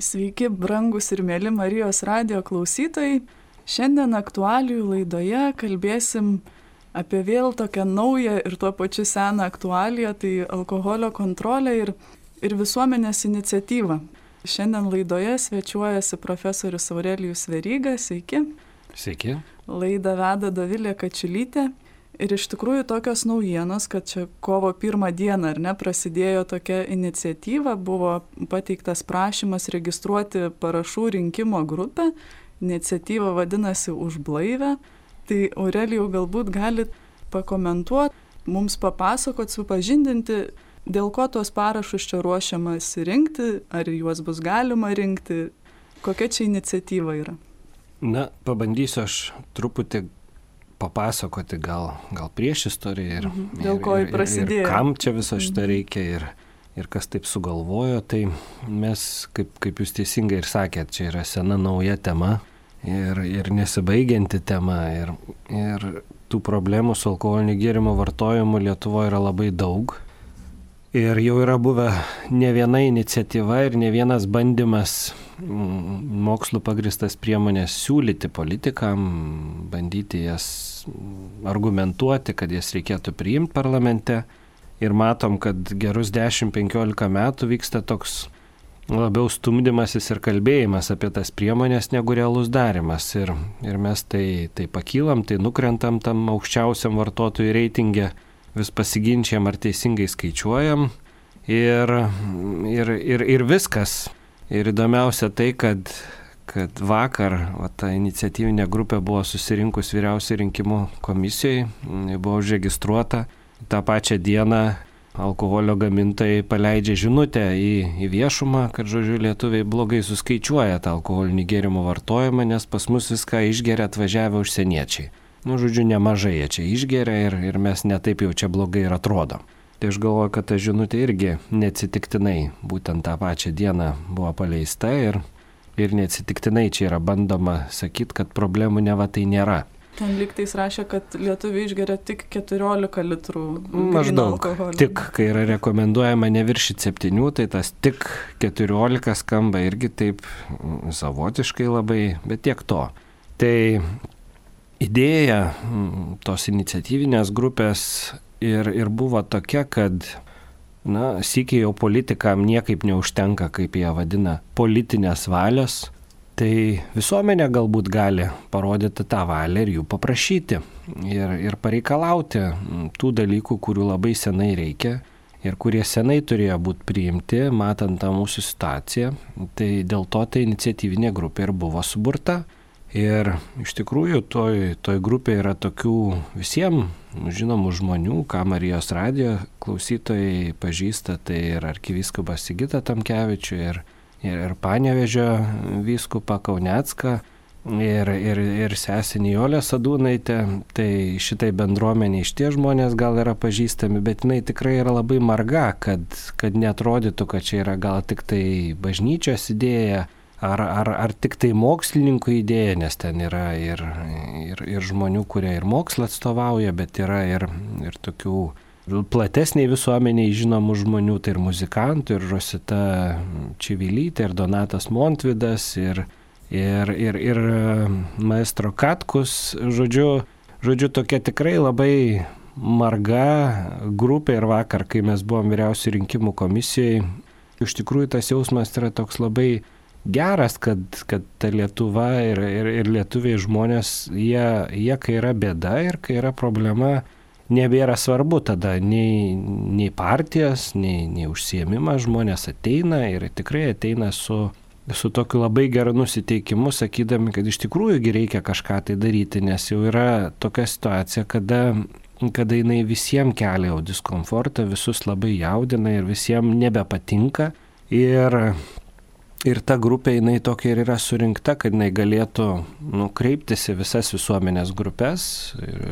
Sveiki, brangus ir mėly Marijos radijo klausytojai. Šiandien aktualijų laidoje kalbėsim apie vėl tokią naują ir tuo pačiu seną aktualiją, tai alkoholio kontrolę ir visuomenės iniciatyvą. Šiandien laidoje svečiuojasi profesorius Aurelijus Veryga. Sveiki. Sveiki. Laidą veda Dovilė Kačiulytė. Ir iš tikrųjų tokios naujienos, kad čia kovo 1 dieną, prasidėjo tokia iniciatyva, buvo pateiktas prašymas registruoti parašų rinkimo grupę. Iniciatyva vadinasi Už blaivę. Tai Aurelijau, galbūt galit pakomentuoti, mums papasakot, supažindinti, dėl ko tuos parašus čia ruošiamasi rinkti, ar juos bus galima rinkti, kokia čia iniciatyva yra. Na, pabandysiu aš truputį papasakoti gal prieš istoriją dėl ko jį prasidėjo. Ir kam čia viso šito reikia ir kas taip sugalvojo. Tai mes, kaip jūs teisingai ir sakėt, čia yra sena nauja tema ir nesibaigianti tema. Ir tų problemų su alkoholiniu gėrimo vartojimu Lietuvoje yra labai daug. Ir jau yra buvę ne viena iniciatyva ir ne vienas bandymas mokslų pagristas priemonės siūlyti politikam, bandyti jas argumentuoti, kad jas reikėtų priimti parlamente. Ir matom, kad gerus 10-15 metų vyksta toks labiau stumdymasis ir kalbėjimas apie tas priemonės negu realus darimas. Ir mes tai pakylam, tai nukrentam tam aukščiausiam vartotojų reitinge, vis pasiginčiam ar teisingai skaičiuojam ir viskas. Ir įdomiausia tai, kad vakar ta iniciatyvinė grupė buvo susirinkus vyriausiai rinkimų komisijoje, buvo užregistruota. Ta pačią dieną alkoholio gamintojai paleidžia žinutę į viešumą, kad, lietuviai blogai suskaičiuoja tą alkoholinį gėrimų vartojimą, nes pas mus viską išgeria atvažiavę užsieniečiai. Nemažai jie čia išgeria ir mes netaip jau čia blogai ir atrodom. Tai aš galvoju, kad ta žinutė irgi neatsitiktinai būtent tą pačią dieną buvo paleista ir neatsitiktinai čia yra bandoma sakyti, kad problemų neva tai nėra. Ten lygtais rašė, kad lietuviai išgeria tik 14 litrų maždaug alkoholio. Tik, kai yra rekomenduojama neviršyti 7, tai tas tik 14 skamba irgi taip savotiškai labai, bet tiek to. Tai idėja tos iniciatyvinės grupės ir buvo tokia, kad sykiai jau politikam niekaip neužtenka, kaip jie vadina, politinės valios. Tai visuomenė galbūt gali parodyti tą valią ir jų paprašyti ir pareikalauti tų dalykų, kurių labai senai reikia ir kurie senai turėjo būti priimti, matant tą mūsų situaciją. Tai dėl to ta iniciatyvinė grupė ir buvo suburta. Ir iš tikrųjų toj grupėje yra tokių visiems žinomų žmonių, ką Marijos radijo klausytojai pažįsta, tai ir arkivyskupas Sigitą Tamkevičių, ir Panevėžio vyskupą Kaunecką, ir sesę Nijolę Sadūnaitę. Tai šitai bendruomeniai šitie žmonės gal yra pažįstami, bet jinai tikrai yra labai marga, kad neatrodytų, kad čia yra gal tik tai bažnyčios idėja, ar tik tai mokslininkų idėja, nes ten yra ir žmonių, kurie ir mokslą atstovauja, bet yra ir tokių platesniai visuomeniai žinomų žmonių, tai ir muzikantų, ir Rosita Čivilytė, ir Donatas Montvydas, ir maestro Katkus. Žodžiu, tokia tikrai labai marga grupė. Ir vakar, kai mes buvom vyriausiai rinkimų komisijoje, iš tikrųjų tas jausmas yra toks labai geras, kad ta Lietuva ir lietuviai žmonės, jie kai yra bėda ir kai yra problema, nebėra svarbu tada nei partijas, nei užsiėmimas, žmonės ateina ir tikrai ateina su tokiu labai geru nusiteikimu, sakydami, kad iš tikrųjų reikia kažką tai daryti, nes jau yra tokia situacija, kada jinai visiems kelia jau diskomfortą, visus labai jaudina ir visiems nebepatinka. Ir ta grupė, jinai tokia ir yra surinkta, kad jinai galėtų kreiptis į visas visuomenės grupės,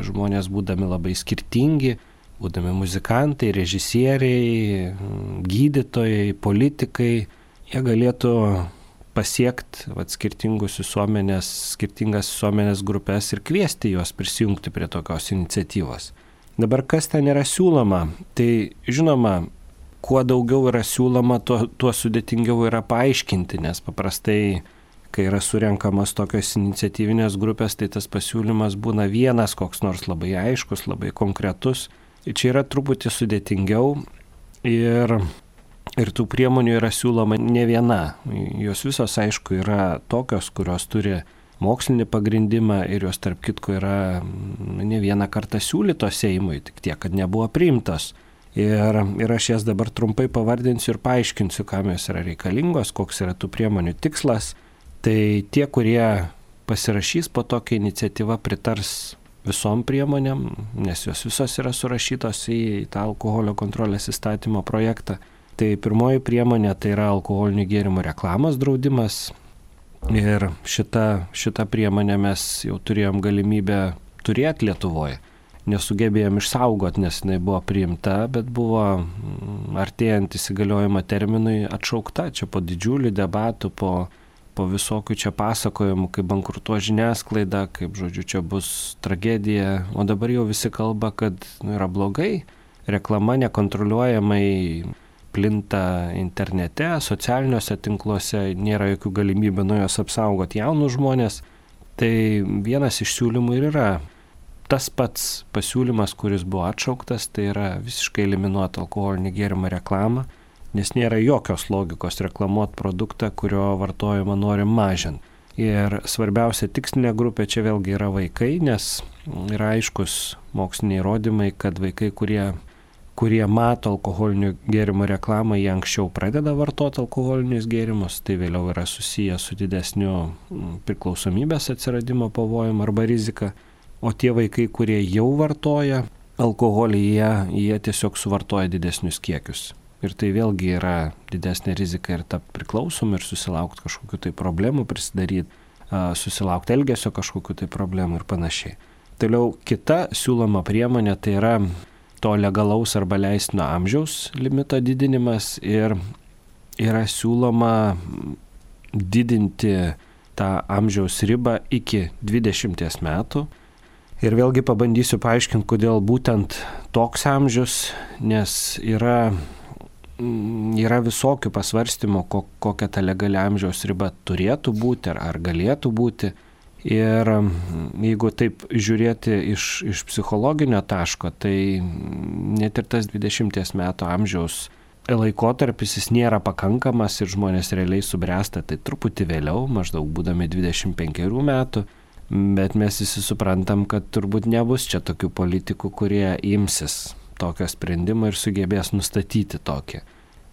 žmonės būdami labai skirtingi, būdami muzikantai, režisieriai, gydytojai, politikai, jie galėtų pasiekti skirtingas visuomenės grupės ir kviesti juos prisijungti prie tokios iniciatyvos. Dabar kas ten yra siūloma? Tai žinoma, kuo daugiau yra siūloma, tuo sudėtingiau yra paaiškinti, nes paprastai, kai yra surenkamos tokios iniciatyvinės grupės, tai tas pasiūlymas būna vienas, koks nors labai aiškus, labai konkretus. Ir čia yra truputį sudėtingiau ir tų priemonių yra siūloma ne viena. Jos visos, aišku, yra tokios, kurios turi mokslinį pagrindimą ir jos tarp kitko yra ne vieną kartą siūlytos Seimui, tik tiek, kad nebuvo priimtos. Ir aš jas dabar trumpai pavardinsiu ir paaiškinsiu, kam jos yra reikalingos, koks yra tų priemonių tikslas. Tai tie, kurie pasirašys po tokią iniciatyvą, pritars visom priemonėm, nes jos visos yra surašytos į tą alkoholio kontrolės įstatymo projektą. Tai pirmoji priemonė tai yra alkoholinių gėrimų reklamos draudimas. Ir šitą priemonę mes jau turėjom galimybę turėti Lietuvoje. Nesugebėjom išsaugoti, nes jinai buvo priimta, bet buvo artėjant įsigaliojimo terminui atšaukta. Čia po didžiulių debatų, po visokių čia pasakojimų, kaip bankrutuos žiniasklaida, kaip, žodžiu, čia bus tragedija. O dabar jau visi kalba, kad yra blogai. Reklama nekontroliuojamai plinta internete, socialiniuose tinkluose, nėra jokių galimybių nuo jos apsaugoti jaunus žmonės. Tai vienas iš siūlymų ir yra tas pats pasiūlymas, kuris buvo atšauktas, tai yra visiškai eliminuoti alkoholinį gėrimą reklamą, nes nėra jokios logikos reklamuoti produktą, kurio vartojimą norim mažinti. Ir svarbiausia tikslinė grupė čia vėlgi yra vaikai, nes yra aiškus moksliniai įrodymai, kad vaikai, kurie mato alkoholinių gėrimų reklamą, jie anksčiau pradeda vartoti alkoholinius gėrimus, tai vėliau yra susiję su didesniu priklausomybės atsiradimo pavojum arba rizika. O tie vaikai, kurie jau vartoja alkoholį, jie tiesiog suvartoja didesnius kiekius. Ir tai vėlgi yra didesnė rizika ir tapti priklausomi ir susilaukti kažkokių tai problemų, prisidaryti, susilaukti elgesio kažkokių tai problemų ir panašiai. Toliau kita siūloma priemonė tai yra to legalaus arba leistino amžiaus limito didinimas ir yra siūloma didinti tą amžiaus ribą iki 20 metų. Ir vėlgi pabandysiu paaiškinti, kodėl būtent toks amžius, nes yra visokių pasvarstymų, kokia ta legali amžiaus riba turėtų būti ar galėtų būti. Ir jeigu taip žiūrėti iš psichologinio taško, tai net ir tas 20 metų amžiaus laikotarpis jis nėra pakankamas ir žmonės realiai subręsta tai truputį vėliau, maždaug būdami 25 metų, bet mes visi suprantam, kad turbūt nebus čia tokių politikų, kurie imsis tokio sprendimo ir sugebės nustatyti tokį.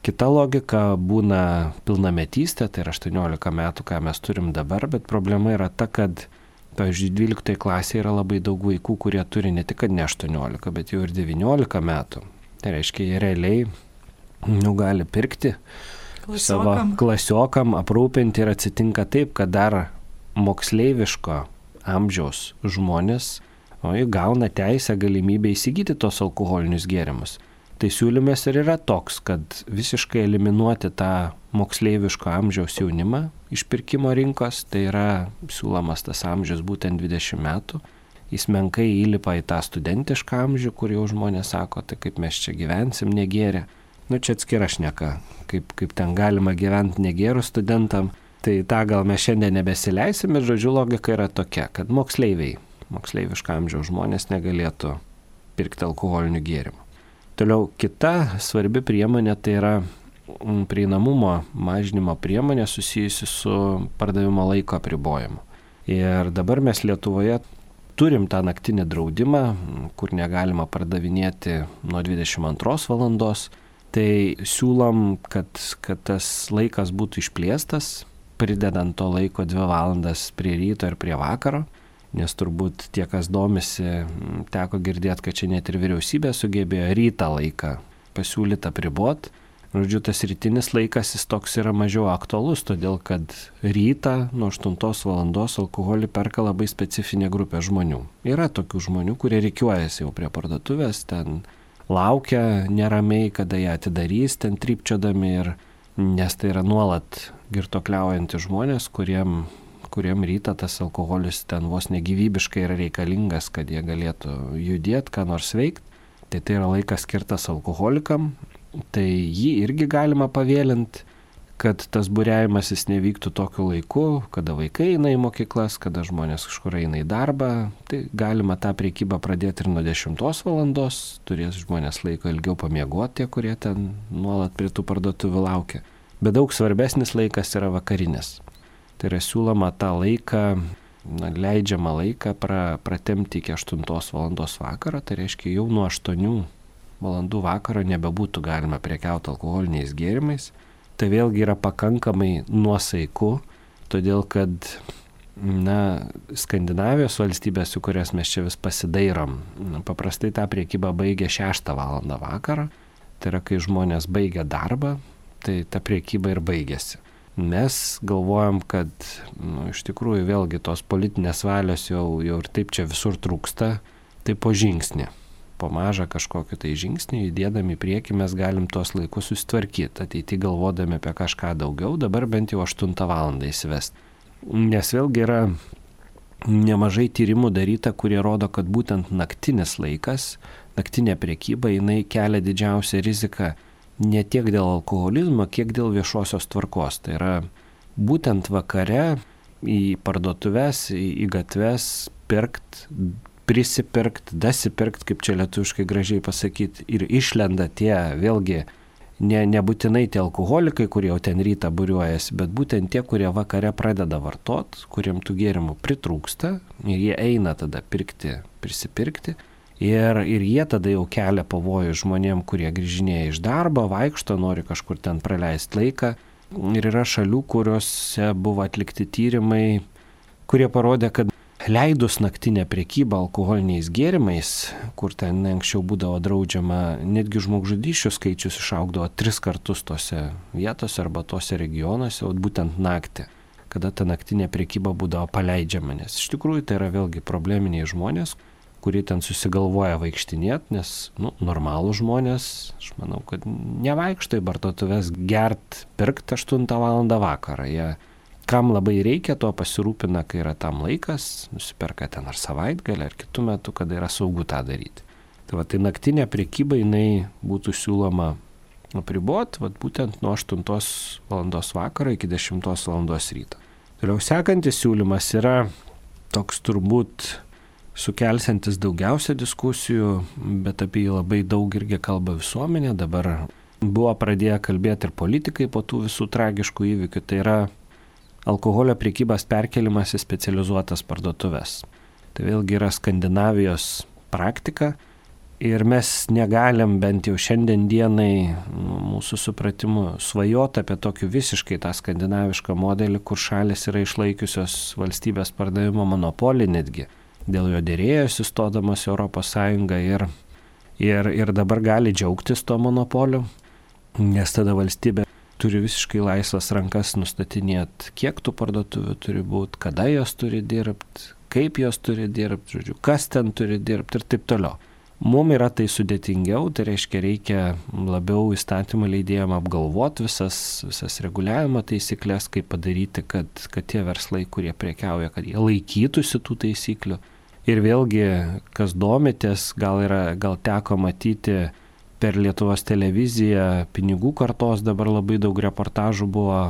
Kita logika būna pilnametystė, tai yra 18 metų, ką mes turim dabar, bet problema yra ta, kad, pavyzdžiui, 12 klasėje yra labai daug vaikų, kurie turi ne tik ne 18, bet jau ir 19 metų. Tai reiškia, jie realiai gali pirkti savo klasiokam, aprūpinti ir atsitinka taip, kad dar moksleiviško amžiaus žmonės gauna teisę galimybę įsigyti tos alkoholinius gėrimus. Tai siūlymas ir yra toks, kad visiškai eliminuoti tą moksleiviško amžiaus jaunimą iš pirkimo rinkos, tai yra siūlomas tas amžius būtent 20 metų. Jis menkai įlipa į tą studentišką amžių, kur jau žmonės sako, tai kaip mes čia gyvensim negėrę. Čia atskira šneka, kaip ten galima gyventi negėrų studentam. Tai tą gal mes šiandien nebesileisim, bet žodžiu logika yra tokia, kad moksleiviško amžiaus žmonės negalėtų pirkti alkoholinių gėrimų. Toliau kita svarbi priemonė tai yra prieinamumo mažinimo priemonė susijusi su pardavimo laiko apribojimu. Ir dabar mes Lietuvoje turim tą naktinį draudimą, kur negalima pardavinėti nuo 22 valandos. Tai siūlom, kad tas laikas būtų išplėstas, pridedant to laiko 2 valandas prie ryto ir prie vakaro. Nes turbūt tie, kas domisi, teko girdėti, kad čia net ir vyriausybė sugebėjo rytą laiką pasiūlytą apriboti. Žodžiu, tas rytinis laikas jis toks yra mažiau aktualus, todėl kad rytą nuo 8 valandos alkoholį perka labai specifinė grupė žmonių. Yra tokių žmonių, kurie rikiuojasi jau prie parduotuvės, ten laukia neramiai, kada ją atidarys, ten trypčiodami, nes tai yra nuolat girtuokliaujantys žmonės, kuriem rytą tas alkoholis ten vos negyvybiškai yra reikalingas, kad jie galėtų judėti, ką nors veikti. Tai yra laikas skirtas alkoholikam. tai jį irgi galima pavėlinti, kad tas būriavimasis nevyktų tokiu laiku, kada vaikai eina į mokyklas, kada žmonės kažkur eina į darbą. Tai galima tą prekybą pradėti ir nuo 10 valandos, turės žmonės laiko ilgiau pamiegoti, tie, kurie ten nuolat prie tų parduotuvių laukia. Bet daug svarbesnis laikas yra vakarinis. Tai yra siūloma tą laiką, leidžiamą laiką pratemti iki 8 valandos vakaro, tai reiškia jau nuo 8 valandų vakaro nebebūtų galima prekiauti alkoholiniais gėrimais. Tai vėlgi yra pakankamai nuosaiku, todėl kad Skandinavijos valstybės, su kurias mes čia vis pasidairom, paprastai tą priekybą baigia 6 valandą vakaro. Tai yra, kai žmonės baigia darbą, tai ta priekyba ir baigėsi. Mes galvojam, kad iš tikrųjų vėlgi tos politinės valios jau ir taip čia visur trūksta, tai po žingsnį. Po mažą kažkokį tai žingsnį, judėdami į priekį mes galim tuos laikus susitvarkyti, ateity galvodami apie kažką daugiau, dabar bent jau 8 valandą įsivesti. Nes vėlgi yra nemažai tyrimų daryta, kurie rodo, kad būtent naktinis laikas, naktinė prekyba, jinai kelia didžiausią riziką ne tiek dėl alkoholizmo, kiek dėl viešosios tvarkos. Tai yra būtent vakare į parduotuves, į gatves prisipirkt, dasipirkt, kaip čia lietuviškai gražiai pasakyti, ir išlenda tie vėlgi nebūtinai tie alkoholikai, kurie jau ten rytą būriuojasi, bet būtent tie, kurie vakare pradeda vartot, kuriem tų gėrimų pritrūksta ir jie eina tada prisipirkti ir jie tada jau kelia pavojų žmonėm, kurie grįžinėja iš darbo, vaikšto, nori kažkur ten praleisti laiką. Ir yra šalių, kuriuose buvo atlikti tyrimai, kurie parodė, kad leidus naktinę prekybą alkoholiniais gėrimais, kur ten anksčiau būdavo draudžiama, netgi žmogžudysčių skaičius išaugdavo 3 kartus tose vietose arba tose regionuose, o būtent naktį, kada ta naktinė prekyba būdavo paleidžiama. Nes iš tikrųjų tai yra vėlgi probleminiai žmonės, kurie ten susigalvoja vaikštinėti, nes normalų žmonės, aš manau, kad nevaikšto į parduotuves gert, pirkt 8 valandą vakarą. Jie kam labai reikia, to pasirūpina, kai yra tam laikas, nusiperka ten ar savaitgalį, ar kitų metų, kada yra saugu tą daryti. Tai naktinė prekyba jinai būtų siūloma apriboti būtent nuo 8 valandos vakaro iki 10 valandos ryto. Toliau sekantis siūlymas yra toks turbūt sukelsiantis daugiausia diskusijų, bet apie jį labai daug irgi kalba visuomenė. Dabar buvo pradėję kalbėti ir politikai po tų visų tragiškų įvykių. Tai yra alkoholio prekybos perkelimas į specializuotas parduotuves. Tai vėlgi yra Skandinavijos praktika ir mes negalim bent jau šiandien dienai mūsų supratimu svajoti apie tokį visiškai tą skandinavišką modelį, kur šalis yra išlaikiusios valstybės pardavimo monopolį netgi. Dėl jo dėrėjosi stodamos Europos Sąjungą ir dabar gali džiaugtis to monopoliu, nes tada valstybė turi visiškai laisvas rankas nustatinėti, kiek tų parduotuvių turi būti, kada jos turi dirbti, kaip jos turi dirbti, kas ten turi dirbti ir taip toliau. Mums yra tai sudėtingiau, tai reikia labiau įstatymų leidėjam apgalvoti visas reguliavimo taisyklės, kaip padaryti, kad tie verslai, kurie prekiauja, kad jie laikytųsi tų taisyklių. Ir vėlgi, kas domitės, gal teko matyti per Lietuvos televiziją pinigų kartos, dabar labai daug reportažų buvo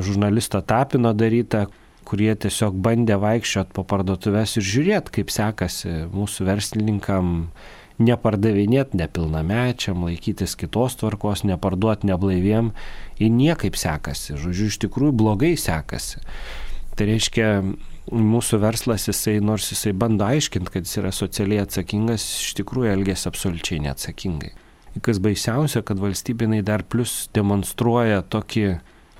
žurnalisto Tapino daryta, kurie tiesiog bandė vaikščioti po parduotuves ir žiūrėti, kaip sekasi mūsų verslininkam nepardavinėti nepilnamečiam, laikytis kitos tvarkos, neparduoti neblaiviem, ir niekaip sekasi. Iš tikrųjų blogai sekasi. Tai reiškia, mūsų verslas, nors jisai bando aiškinti, kad jis yra socialiai atsakingas, iš tikrųjų elgėsi absoliučiai neatsakingai. Kas baisiausia, kad valstybinai dar plus demonstruoja tokį,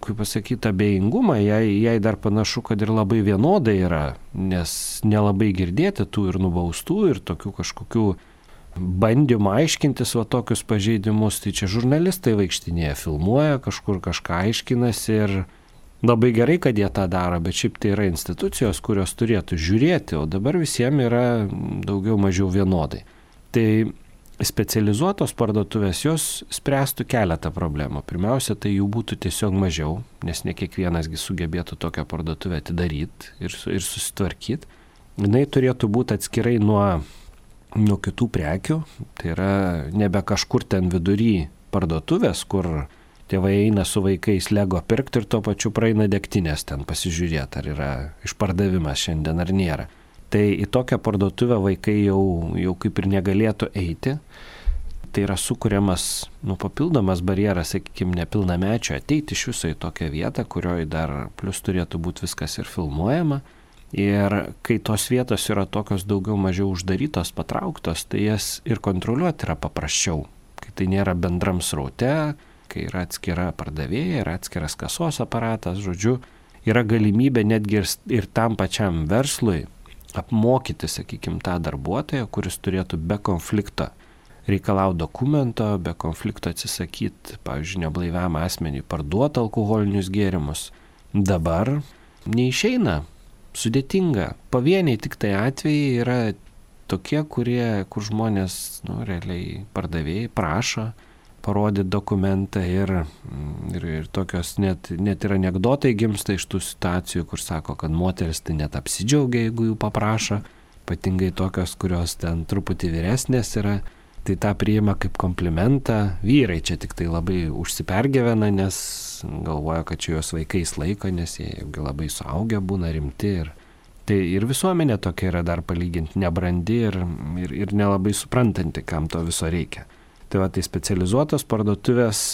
kaip pasakyti, abejingumą, jai dar panašu, kad ir labai vienodai yra, nes nelabai girdėti tų ir nubaustų, ir tokių kažkokių bandymų aiškintis tokius pažeidimus. Tai čia žurnalistai vaikštinėje, filmuoja, kažkur kažką aiškinasi ir labai gerai, kad jie tą daro, bet šiaip tai yra institucijos, kurios turėtų žiūrėti, o dabar visiems yra daugiau mažiau vienodai. Tai specializuotos parduotuvės jos spręstų keletą problemų. Pirmiausia, tai jų būtų tiesiog mažiau, nes ne kiekvienasgi sugebėtų tokią parduotuvę atidaryti ir susitvarkyti. Jis turėtų būti atskirai nuo kitų prekių, tai yra nebe kažkur ten vidury parduotuvės, kur tėvai eina su vaikais Lego pirkti ir tuo pačiu praeina degtinės ten pasižiūrėti, ar yra išpardavimas šiandien ar nėra. Tai į tokią parduotuvę vaikai jau kaip ir negalėtų eiti. Tai yra sukuriamas papildomas barjeras, sakykime, nepilnamečio ateiti iš viso į tokią vietą, kurioje dar plus turėtų būti viskas ir filmuojama. Ir kai tos vietos yra tokios daugiau mažiau uždarytos, patrauktos, tai jas ir kontroliuoti yra paprasčiau. Kai tai nėra bendram sraute, kai yra atskira pardavėja, yra atskiras kasos aparatas, žodžiu, yra galimybė netgi ir tam pačiam verslui apmokyti, sakykime, tą darbuotoją, kuris turėtų be konflikto reikalauti dokumento, be konflikto atsisakyti, pavyzdžiui, neblaiviam asmeniui parduoti alkoholinius gėrimus. Dabar neišeina, sudėtinga. Pavieniai tik tai atvejai yra tokie, kur žmonės, realiai pardavėjai prašo parodyti dokumentą ir tokios net ir anekdotai gimsta iš tų situacijų, kur sako, kad moteris tai net apsidžiaugia, jeigu jų paprašo, ypatingai tokios, kurios ten truputį vyresnės yra. Tai tą priima kaip komplimentą. Vyrai čia tik tai labai užsipergyvena, nes galvoja, kad čia jos vaikais laiko, nes jie labai suaugę būna rimti. Tai ir visuomenė tokia yra dar palyginti nebrandi ir nelabai suprantanti, kam to viso reikia. Tai va, tai specializuotos parduotuvės,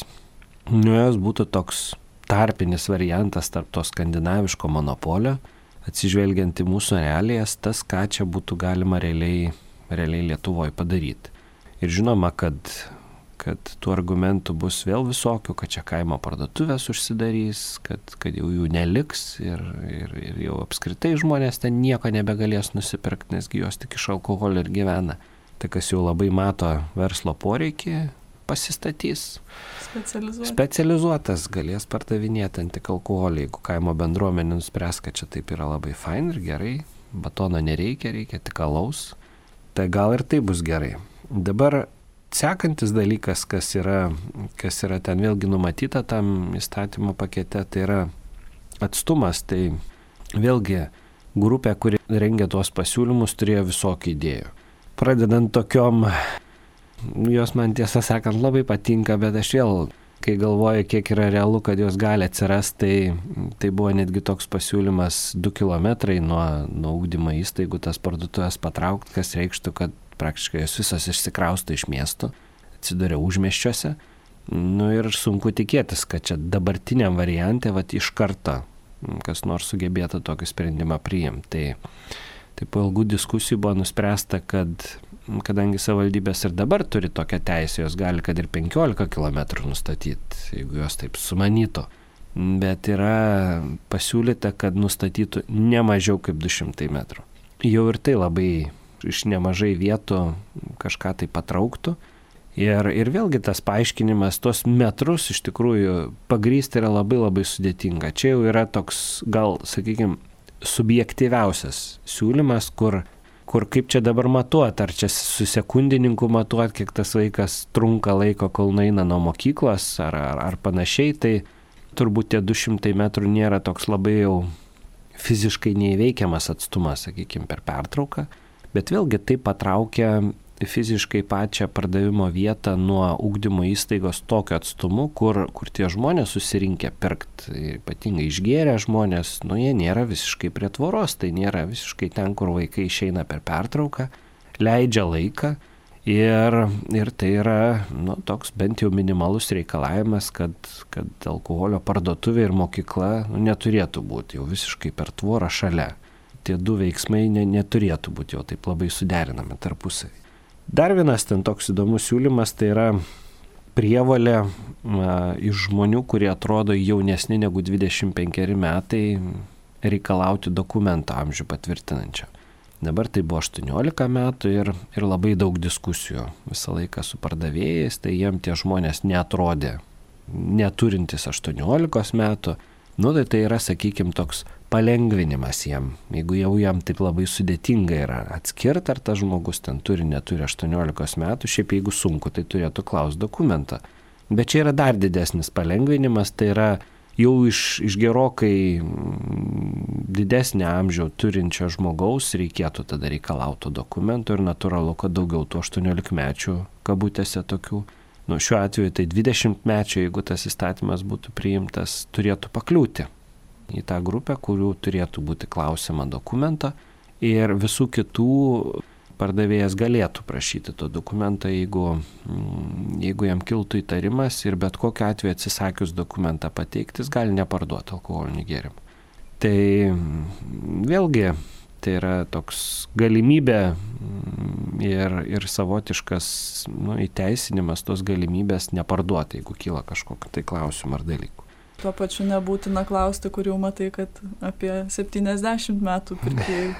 jos būtų toks tarpinis variantas tarp to skandinaviško monopolio, atsižvelgiant į mūsų realijas, tas, ką čia būtų galima realiai Lietuvoje padaryti. Ir žinoma, kad tų argumentų bus vėl visokių, kad čia kaimo parduotuvės užsidarys, kad jau jų neliks ir jau apskritai žmonės ten nieko nebegalės nusipirkti, nesgi jos tik iš alkoholio ir gyvena. Tai kas jau labai mato verslo poreikį, pasistatys. Specializuotas galės pardavinėti tik alkoholį, jeigu kaimo bendruomenė nuspręs, kad čia taip yra labai fain ir gerai, batono nereikia, reikia tik alaus, tai gal ir tai bus gerai. Dabar sekantis dalykas, kas yra ten vėlgi numatyta tam įstatymo pakete, tai yra atstumas. Tai vėlgi grupė, kuri rengia tuos pasiūlymus, turėjo visokių idėjų. Pradedant tokiom, jos man tiesą sakant labai patinka, bet aš vėl, kai galvoju, kiek yra realu, kad jos gali atsirasti, tai buvo netgi toks pasiūlymas 2 kilometrai nuo ugdymo įstaigų tas parduotuvės patraukti, kas reikštų, kad praktiškai jos visos išsikrausto iš miestų, atsiduria užmiesčiuose. Ir sunku tikėtis, kad čia dabartiniam variante iš karto kas nors sugebėtų tokį sprendimą priimti. Tai po ilgų diskusijų buvo nuspręsta, kad kadangi savivaldybės ir dabar turi tokią teisę, jos gali kad ir 15 km nustatyti, jeigu jos taip sumanytų. Bet yra pasiūlyta, kad nustatytų ne mažiau kaip 200 metrų. Jau ir tai labai iš nemažai vietų kažką tai patrauktų. Ir vėlgi tas paaiškinimas, tos metrus iš tikrųjų pagrįsti yra labai labai sudėtinga. Čia jau yra toks, gal, sakykime, subjektyviausias siūlymas, kur kaip čia dabar matuot, ar čia su sekundininku matuot, kiek tas vaikas trunka laiko, kol nueina nuo mokyklos, ar panašiai, tai turbūt tie 200 metrų nėra toks labai jau fiziškai neįveikiamas atstumas, sakykime, per pertrauką. Bet vėlgi tai patraukia fiziškai pačią pardavimo vietą nuo ugdymo įstaigos tokiu atstumu, kur tie žmonės susirinkę pirkti, ypatingai išgėrę žmonės, jie nėra visiškai prie tvoros, tai nėra visiškai ten, kur vaikai išeina per pertrauką, leidžia laiką ir tai yra toks bent jau minimalus reikalavimas, kad alkoholio parduotuvė ir mokykla neturėtų būti jau visiškai per tvorą šalia. Tie du veiksmai neturėtų būti jau taip labai suderinami tarpusavį. Dar vienas ten toks įdomus siūlymas, tai yra prievolė iš žmonių, kurie atrodo jaunesni negu 25 metai, reikalauti dokumento amžių patvirtinančio. Dabar tai buvo 18 metų ir labai daug diskusijų visą laiką su pardavėjais, tai jiem tie žmonės neatrodė neturintis 18 metų. Tai yra, sakykime, toks palengvinimas jiem. Jeigu jau jam taip labai sudėtinga yra atskirti, ar tas žmogus ten neturi 18 metų, šiaip jeigu sunku, tai turėtų klausti dokumentą. Bet čia yra dar didesnis palengvinimas, tai yra jau iš gerokai didesnį amžių turinčio žmogaus reikėtų tada reikalauti dokumento ir natūralu, kad daugiau tų 18-mečių kabutėse tokių šiuo atveju tai 20-mečio, jeigu tas įstatymas būtų priimtas, turėtų pakliūti į tą grupę, kurių turėtų būti klausima dokumento, ir visų kitų pardavėjas galėtų prašyti to dokumento, jeigu jam kiltų įtarimas, ir bet kokiu atveju atsisakius dokumentą pateikti, jis gali neparduoti alkoholinių gėrimų. Tai vėlgi tai yra toks galimybė ir savotiškas įteisinimas tos galimybės neparduoti, jeigu kyla kažkokiu tai klausimu ar dalyku. Tuo pačiu nebūtina klausti, kur jau matai, kad apie 70 metų pirkėjai.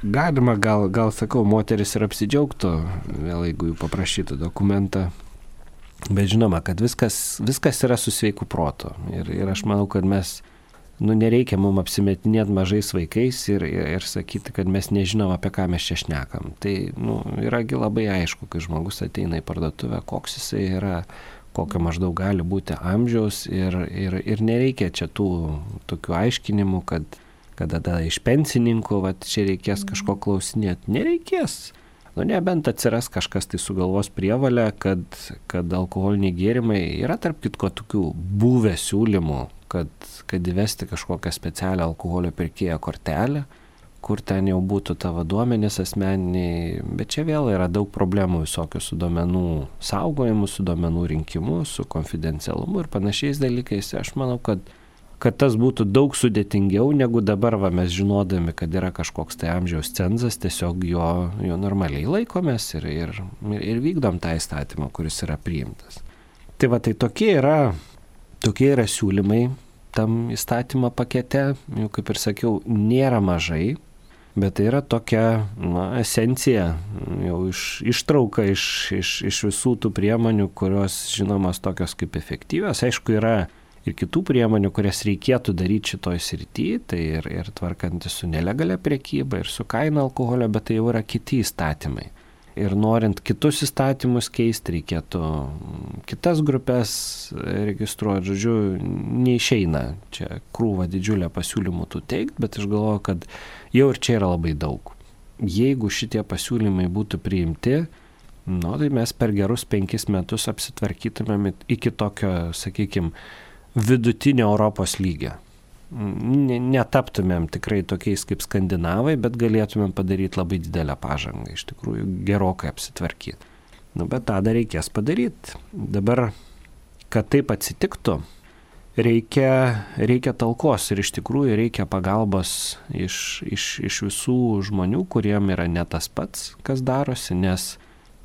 Galima, gal sakau, moteris ir apsidžiaugtų, vėl jeigu jų paprašytų dokumentą. Bet žinoma, kad viskas yra su sveiku protu. Ir aš manau, kad mes, nereikia mums apsimetinėti mažais vaikais ir sakyti, kad mes nežinom, apie ką mes čia šnekam. Tai, yragi labai aišku, kai žmogus ateina į parduotuvę, koks jisai yra, kokio maždaug gali būti amžiaus, ir nereikia čia tų tokių aiškinimų, kad tada iš pensininkų, čia reikės kažko klausinėti. Nereikės. Nebent atsiras kažkas tai sugalvos prievalę, kad alkoholiniai gėrimai yra tarp kitko tokių buvę siūlymų, kad įvesti kažkokią specialią alkoholio pirkėjo kortelę, kur ten jau būtų tavo duomenys asmeniniai, bet čia vėl yra daug problemų visokių su duomenų saugojimu, su duomenų rinkimu, su konfidencialumu ir panašiais dalykais. Aš manau, kad tas būtų daug sudėtingiau, negu dabar mes žinodami, kad yra kažkoks tai amžiaus cenzas, tiesiog jo normaliai laikomės ir vykdom tą įstatymą, kuris yra priimtas. Tai tokie yra siūlymai tam įstatymo pakete, jau kaip ir sakiau, nėra mažai, bet tai yra tokia esencija, jau ištrauka iš visų tų priemonių, kurios žinomas tokios kaip efektyvios. Aišku, yra ir kitų priemonių, kurias reikėtų daryti šitoj srity, tai ir tvarkantis su nelegalia prekyba, ir su kaina alkoholio, bet tai jau yra kiti įstatymai. Ir norint kitus įstatymus keisti, reikėtų kitas grupės registruoti, žodžiu, neišeina čia krūva didžiulė pasiūlymų tų teikti, bet aš galvoju, kad jau ir čia yra labai daug. Jeigu šitie pasiūlymai būtų priimti, tai mes per gerus 5 metus apsitvarkytumėm iki tokio, sakykime, vidutinio Europos lygio. Netaptumėm tikrai tokiais kaip skandinavai, bet galėtumėm padaryti labai didelę pažangą, iš tikrųjų gerokai apsitvarkyti. Bet tą dar reikės padaryti. Dabar, kad taip atsitiktų, reikia talkos ir iš tikrųjų reikia pagalbos iš visų žmonių, kuriem yra ne tas pats, kas darosi, nes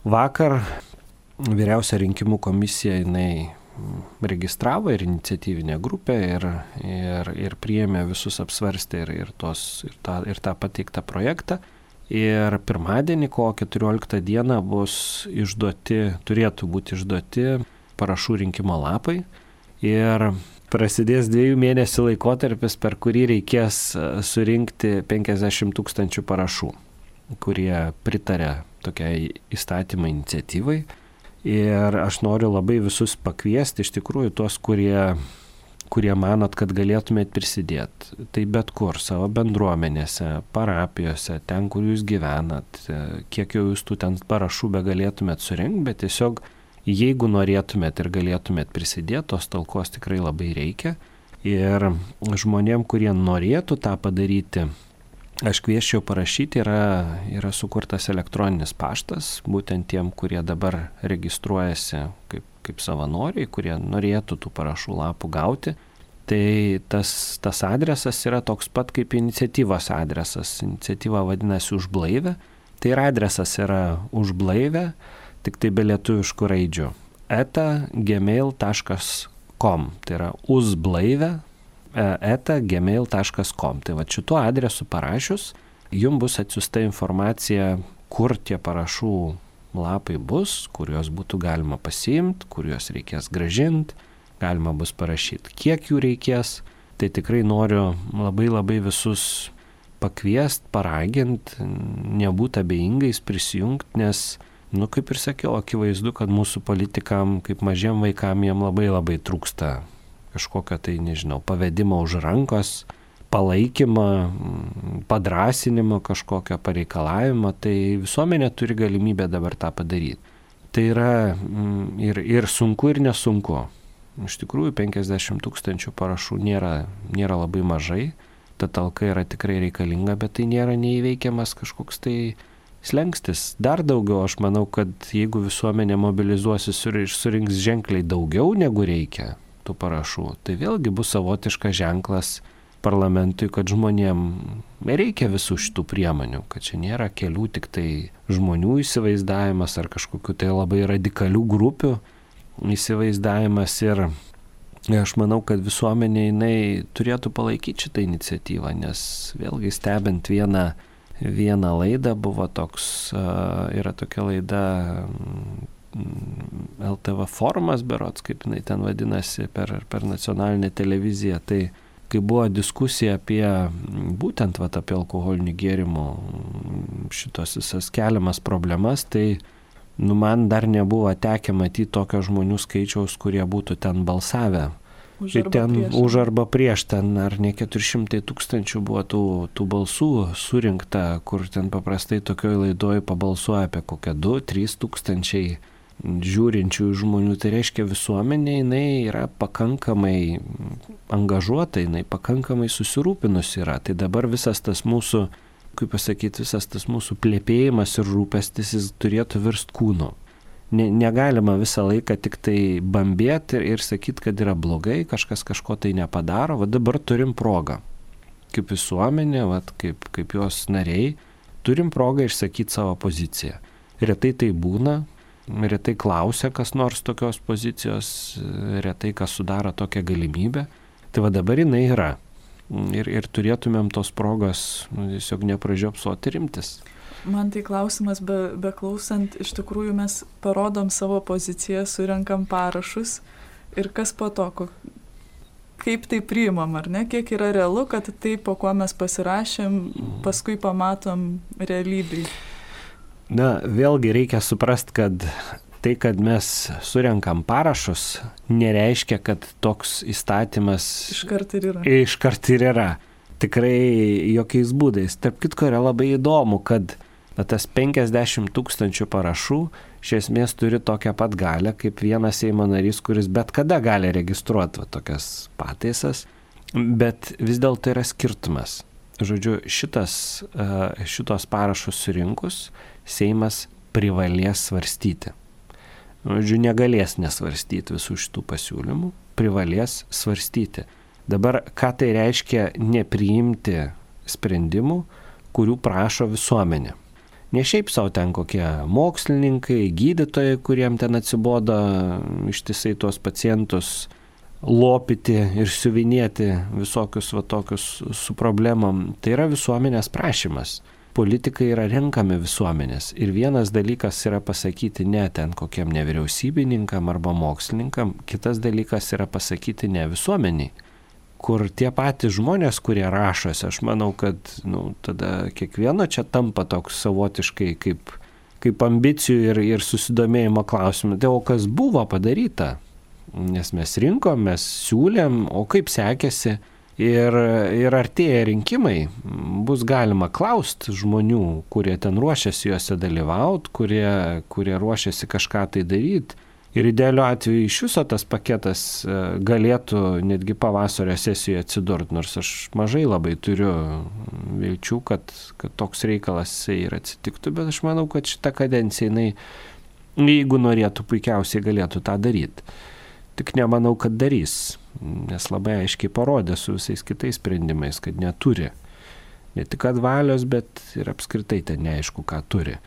vakar Vyriausia rinkimų komisija jinai registravo ir iniciatyvinę grupę ir priėmė visus apsvarstę ir tą pateiktą projektą. Ir pirmadienį, kovo 14 dieną turėtų būti išduoti parašų rinkimo lapai. Ir prasidės 2 mėnesių laikotarpis, per kurį reikės surinkti 50 000 parašų, kurie pritarė tokiai įstatymo iniciatyvai. Ir aš noriu labai visus pakviesti, iš tikrųjų tuos, kurie manot, kad galėtumėt prisidėti. Tai bet kur, savo bendruomenėse, parapijose, ten, kur jūs gyvenat, kiek jau jūs tų ten parašų be galėtumėt surinkti, bet tiesiog jeigu norėtumėt ir galėtumėt prisidėti, tos talkos tikrai labai reikia. Ir žmonėm, kurie norėtų tą padaryti, aš kvieščiau parašyti, yra sukurtas elektroninis paštas, būtent tiem, kurie dabar registruojasi kaip savanoriai, kurie norėtų tų parašų lapų gauti. Tai tas adresas yra toks pat kaip iniciatyvos adresas. Iniciatyva vadinasi Už blaivę. Tai ir adresas yra Už blaivę, tik tai be lietuviškų raidžių. @gmail.com. Tai yra uzblaivę @gmail.com. Tai šituo adresu parašius, jums bus atsiųsta informacija, kur tie parašų lapai bus, kur juos būtų galima pasiimti, kur juos reikės grąžinti, galima bus parašyti, kiek jų reikės. Tai tikrai noriu labai visus pakviesti, paraginti, nebūti abejingais, prisijungti, nes, kaip ir sakiau, akivaizdu, kad mūsų politikam, kaip mažiem vaikam, jiem labai trūksta kažkokio tai, pavedimo už rankos, palaikymą, padrasinimo kažkokio pareikalavimo, tai visuomenė turi galimybę dabar tą padaryti. Tai yra ir sunku, ir nesunku. Iš tikrųjų, 50 000 parašų nėra labai mažai. Ta talka yra tikrai reikalinga, bet tai nėra neįveikiamas kažkoks tai slengstis. Dar daugiau, aš manau, kad jeigu visuomenė mobilizuosis ir surinks ženkliai daugiau negu reikia tų parašų, tai vėlgi bus savotiškas ženklas parlamentui, kad žmonėm reikia visų šitų priemonių, kad čia nėra kelių tik tai žmonių įsivaizdavimas ar kažkokiu tai labai radikalių grupių įsivaizdavimas. Ir aš manau, kad visuomenė jinai turėtų palaikyti šitą iniciatyvą, nes vėlgi stebint vieną laidą buvo toks, yra tokia laida LTV forumas berods, kaip jinai ten vadinasi, per nacionalinę televiziją. Tai kai buvo diskusija apie būtent apie alkoholinių gėrimų šitos visas keliamas problemas, tai man dar nebuvo tekę matyti tokio žmonių skaičiaus, kurie būtų ten balsavę. Už arba prieš, ten ar ne 400 000 buvo tų balsų surinkta, kur ten paprastai tokioj laidoj pabalsuoja apie kokią 2-3 tūkstančiai žiūrinčių žmonių. Tai reiškia, visuomenė jinai yra pakankamai angažuota, jinai pakankamai susirūpinusi yra. Tai dabar visas tas mūsų, visas tas mūsų plėpėjimas ir rūpestis jis turėtų virst kūnu. Negalima visą laiką tik tai bambėti ir sakyti, kad yra blogai, kažkas kažko tai nepadaro. Va dabar turim progą. Kaip visuomenė, kaip jos nariai, turim progą išsakyti savo poziciją. Retai tai būna, retai klausia kas nors tokios pozicijos, retai kas sudaro tokią galimybę. Tai va dabar jinai yra. Ir turėtumėm tos progos tiesiog nepražiopsoti rimtis. Man tai klausimas, beklausant, iš tikrųjų mes parodom savo poziciją, surenkam parašus ir kas po to, kaip tai priimam, ar ne, kiek yra realu, kad tai, po kuo mes pasirašėm, paskui pamatom realybėj. Na, vėlgi reikia suprasti, kad tai, kad mes surenkam parašus, nereiškia, kad toks įstatymas iškart ir yra. Tikrai jokiais būdais. Tarp kitko yra labai įdomu, kad tas 50 000 parašų iš esmės turi tokią pat galią kaip vienas Seimo narys, kuris bet kada gali registruoti tokias pataisas, bet vis dėlto yra skirtumas. Žodžiu, šitos parašus surinkus Seimas privalės svarstyti. Žodžiu, negalės nesvarstyti visų šitų pasiūlymų, privalės svarstyti. Dabar, ką tai reiškia nepriimti sprendimų, kurių prašo visuomenė? Ne šiaip savo ten kokie mokslininkai, gydytojai, kuriem ten atsibodo ištisai tuos pacientus lopyti ir siuvinėti visokius tokius su problemom. Tai yra visuomenės prašymas. Politikai yra renkami visuomenės. Ir vienas dalykas yra pasakyti ne ten kokiem nevyriausybininkam arba mokslininkam, kitas dalykas yra pasakyti ne visuomeniai. Kur tie patys žmonės, kurie rašosi, aš manau, kad tada kiekvieno čia tampa toks savotiškai kaip ambicijų ir susidomėjimo klausimų. Tai o kas buvo padaryta? Nes mes rinkom, mes siūlėm, o kaip sekėsi? Ir artėja rinkimai, bus galima klausti žmonių, kurie ten ruošiasi juose dalyvauti, kurie ruošiasi kažką tai daryti. Ir idealiu atveju iš viso tas paketas galėtų netgi pavasario sesijoje atsidurti, nors aš mažai labai turiu vilčių, kad toks reikalas ir atsitiktų, bet aš manau, kad šitą kadenciją jinai, jeigu norėtų, puikiausiai galėtų tą daryti. Tik nemanau, kad darys, nes labai aiškiai parodė su visais kitais sprendimais, kad neturi. Ne tik kad valios, bet ir apskritai ten neaišku, ką turi.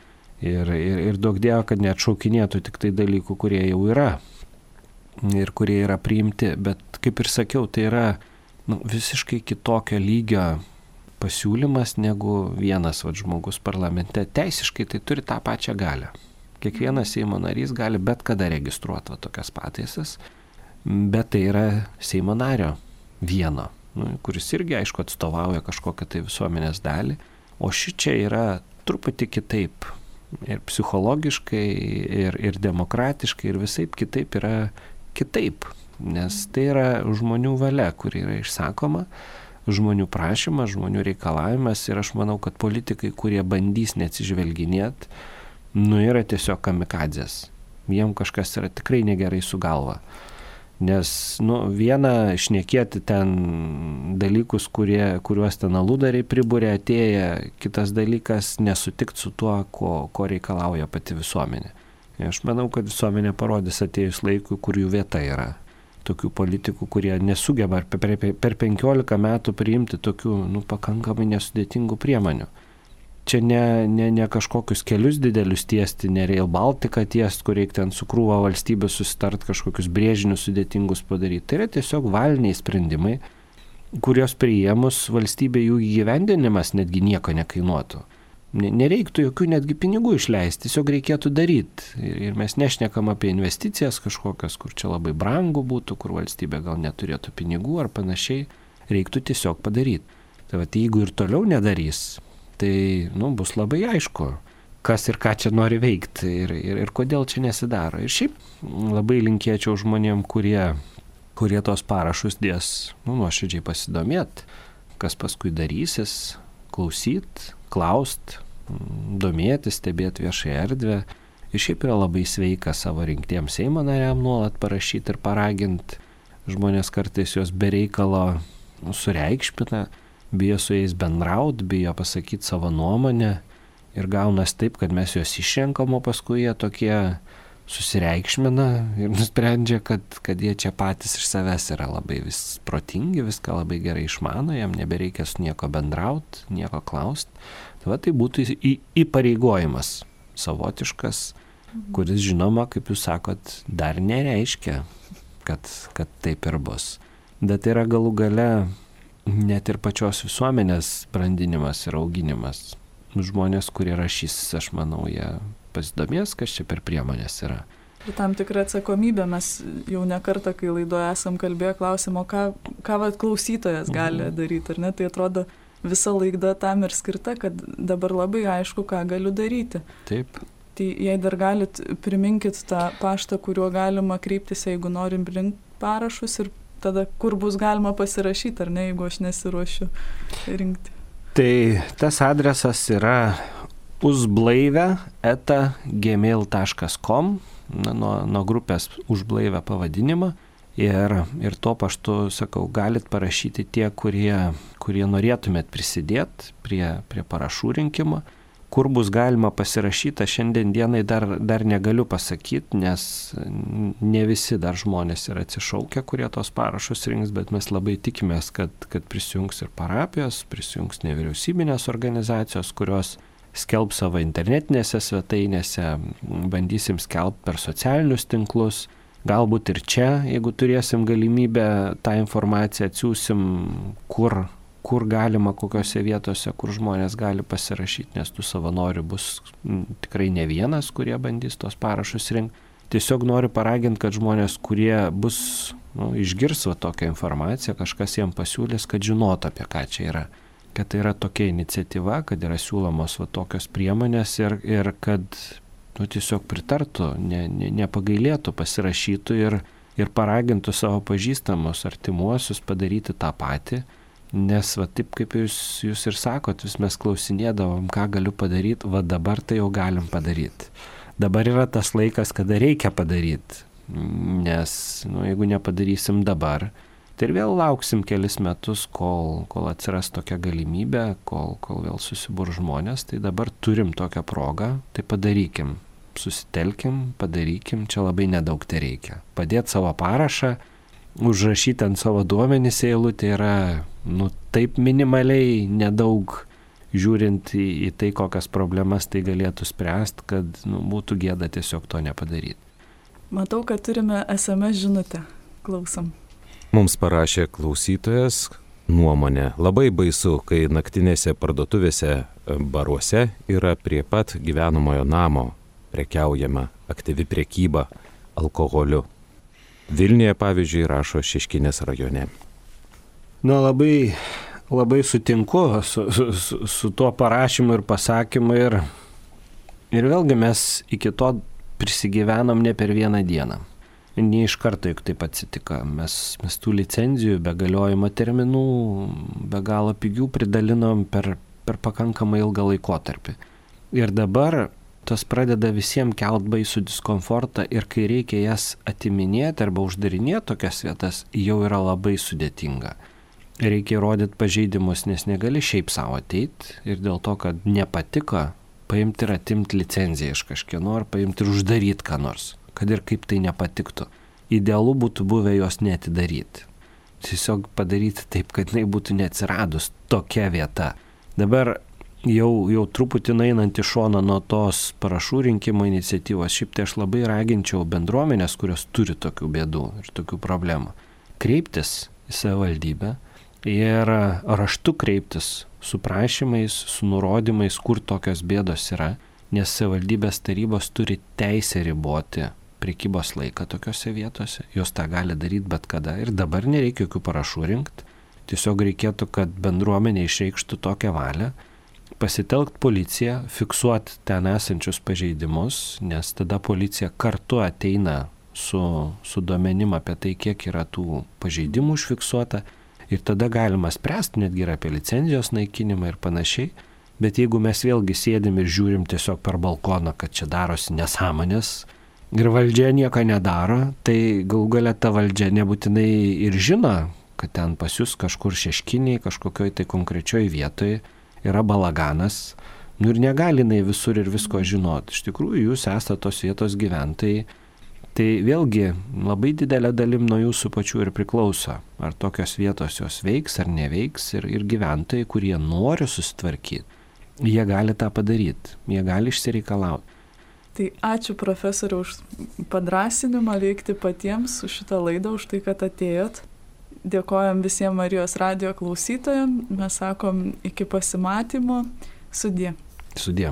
Ir daug dievo, kad neatšaukinėtų tik tai dalykų, kurie jau yra ir kurie yra priimti, bet kaip ir sakiau, tai yra visiškai kitokio lygio pasiūlymas negu vienas žmogus parlamente. Teisiškai tai turi tą pačią galią. Kiekvienas Seimo narys gali bet kada registruoti tokias pataisas, bet tai yra Seimo nario vieno, kuris irgi aišku atstovauja kažkokią tai visuomenės dalį, o šičia yra truputį kitaip. Ir psichologiškai, ir demokratiškai, ir visaip kitaip yra kitaip. Nes tai yra žmonių valia, kuri yra išsakoma, žmonių prašymas, žmonių reikalavimas. Ir aš manau, kad politikai, kurie bandys neatsižvelginėti, yra tiesiog kamikadzės. jiem kažkas yra tikrai negerai su galva. Nes, viena šnekėti ten dalykus, kuriuos ten aludariai pribūrė atėję, kitas dalykas nesutikti su tuo, ko reikalauja pati visuomenė. Aš manau, kad visuomenė parodys atėjus laikui, kur jų vieta yra. Tokių politikų, kurie nesugeba per 15 metų priimti tokių pakankamai nesudėtingų priemonių. Čia ne kažkokius kelius didelius tiesti, ne Rail Baltica tiesti, kur reikia ten su krūva valstybė susitart kažkokius brėžinius sudėtingus padaryti. Tai yra tiesiog valiniai sprendimai, kurios priėmus valstybė jų įgyvendinimas netgi nieko nekainuotų. Nereiktų jokių netgi pinigų išleisti, tiesiog reikėtų daryti. Ir mes nešnekam apie investicijas kažkokias, kur čia labai brangu būtų, kur valstybė gal neturėtų pinigų ar panašiai. Reiktų tiesiog padaryti. Tai jeigu ir toliau nedarys, tai bus labai aišku, kas ir ką čia nori veikti ir kodėl čia nesidaro. Ir šiaip labai linkėčiau žmonėm, kurie tos parašus dės, nuoširdžiai pasidomėti, kas paskui darysis, klausyt, klaust, domėtis, stebėti viešąją erdvę. Ir šiaip yra labai sveika savo rinktiems Seimo nariam nuolat parašyti ir paraginti. Žmonės kartais jos bereikalo sureikšmina, bijo su jais bendraut, bijo pasakyti savo nuomonę ir gaunas taip, kad mes juos išrenkam, o paskui jie tokie susireikšmina ir nusprendžia, kad jie čia patys iš savęs yra labai vis protingi, viską labai gerai išmano, jam nebereikia su nieko bendraut, nieko klaust. Tai būtų įpareigojimas savotiškas, kuris žinoma, kaip jūs sakot, dar nereiškia, kad taip ir bus. Bet yra galų gale net ir pačios visuomenės brandinimas ir auginimas. Žmonės, kurie rašys, aš manau, jie pasidomės, kas čia per priemonės yra. Ir tam tikrą atsakomybę mes jau ne kartą, kai laidoje esam kalbėję, klausim, o ką klausytojas gali daryti, ar ne? Tai atrodo, visa laida tam ir skirta, kad dabar labai aišku, ką galiu daryti. Taip. Tai jei dar galit, priminkit tą paštą, kuriuo galima kreiptis, jeigu norim rinkti parašus ir tada kur bus galima pasirašyti, ar ne, jeigu aš nesiruošiu rinkti. Tai tas adresas yra uzblaivę@gmail.com, nuo grupės Užblaivę pavadinimą. Ir tuo paštu, sakau, galit parašyti tie, kurie norėtumėt prisidėti prie parašų rinkimo. Kur bus galima pasirašyti, šiandien dienai dar negaliu pasakyti, nes ne visi dar žmonės yra atsišaukę, kurie tos parašus rinks, bet mes labai tikimės, kad prisijungs ir parapijos, prisijungs nevyriausybinės organizacijos, kurios skelb savo internetinėse svetainėse, bandysim skelbti per socialinius tinklus. Galbūt ir čia, jeigu turėsim galimybę, tą informaciją atsiųsim, kur galima, kokiose vietose, kur žmonės gali pasirašyti, nes tų savanorių bus tikrai ne vienas, kurie bandys tos parašus rinkti. Tiesiog noriu paraginti, kad žmonės, kurie bus, išgirs tokią informaciją, kažkas jiems pasiūlys, kad žinotų, apie ką čia yra. Kad tai yra tokia iniciatyva, kad yra siūlomos tokios priemonės ir kad tiesiog pritartų, nepagailėtų, pasirašytų ir paragintų savo pažįstamus, artimuosius padaryti tą patį. Nes taip kaip jūs ir sakot, vis mes klausinėdavom, ką galiu padaryti, dabar tai jau galim padaryti. Dabar yra tas laikas, kada reikia padaryti, nes jeigu nepadarysim dabar, tai ir vėl lauksim kelis metus, kol atsiras tokia galimybė, kol vėl susibur žmonės, tai dabar turim tokią progą, tai padarykim, susitelkim, padarykim, čia labai nedaug tai reikia. Padėti savo parašą, užrašyti ant savo duomenys eilutė yra taip minimaliai nedaug, žiūrint į tai, kokias problemas tai galėtų spręsti, kad būtų gėda tiesiog to nepadaryti. Matau, kad turime SMS žinutę. Klausom. Mums parašė klausytojas nuomonę. Labai baisu, kai naktinėse parduotuvėse, baruose yra prie pat gyvenamojo namo prekiaujama aktyvi prekyba alkoholiu. Vilniuje, pavyzdžiui, rašo Šeškinės rajone. Labai, labai sutinku su tuo parašymu ir pasakymu ir vėlgi mes iki to prisigyvenom ne per vieną dieną. Ne iš karto, juk taip atsitiko. Mes tų licenzijų be galiojimo terminų, be galo pigių pridalinom per pakankamai ilgą laikotarpį. Ir dabar tos pradeda visiems kelt baisų diskomfortą ir kai reikia jas atiminėti arba uždarinėti tokias vietas, jau yra labai sudėtinga. Reikia įrodyti pažeidimus, nes negali šiaip savo ateiti ir dėl to, kad nepatiko, paimti ir atimti licenciją iš kažkieno ar paimti ir uždaryti ką nors, kad ir kaip tai nepatiktų. Idealu būtų buvę jos neatidaryti. Tiesiog padaryti taip, kad jinai būtų neatsiradus tokia vieta. Dabar jau truputį einant į šoną nuo tos parašų rinkimo iniciatyvos, šiaip tai aš labai raginčiau bendruomenės, kurios turi tokių bėdų ir tokių problemų, kreiptis į savivaldybę ir raštu kreiptis su prašymais, su nurodymais, kur tokios bėdos yra, nes savivaldybės tarybos turi teisę riboti prekybos laiką tokiose vietose, jos tą gali daryti bet kada ir dabar nereikia jokių parašų rinkti, tiesiog reikėtų, kad bendruomenė išreikštų tokią valią, pasitelkt policiją, fiksuoti ten esančius pažeidimus, nes tada policija kartu ateina su duomenim apie tai, kiek yra tų pažeidimų užfiksuota ir tada galima spręsti netgi ir apie licenzijos naikinimą ir panašiai, bet jeigu mes vėlgi sėdim ir žiūrim tiesiog per balkoną, kad čia darosi nesąmonės ir valdžia nieko nedaro, tai galų gale ta valdžia nebūtinai ir žino, kad ten pas jūs kažkur Šeškinėje, kažkokioj tai konkrečioj vietoje yra balaganas, ir negali jinai visur ir visko žinoti. Iš tikrųjų, jūs esate tos vietos gyventojai, tai vėlgi labai didelė dalim nuo jūsų pačių ir priklauso, ar tokios vietos jos veiks ar neveiks ir gyventojai, kurie nori susitvarkyti, jie gali tą padaryti, jie gali išsireikalauti. Tai ačiū profesoriau už padrasinimą veikti patiems, už šitą laidą, už tai, kad atėjot. Dėkojam visiems Marijos radijo klausytojams, mes sakom iki pasimatymo, sudie. Sudie.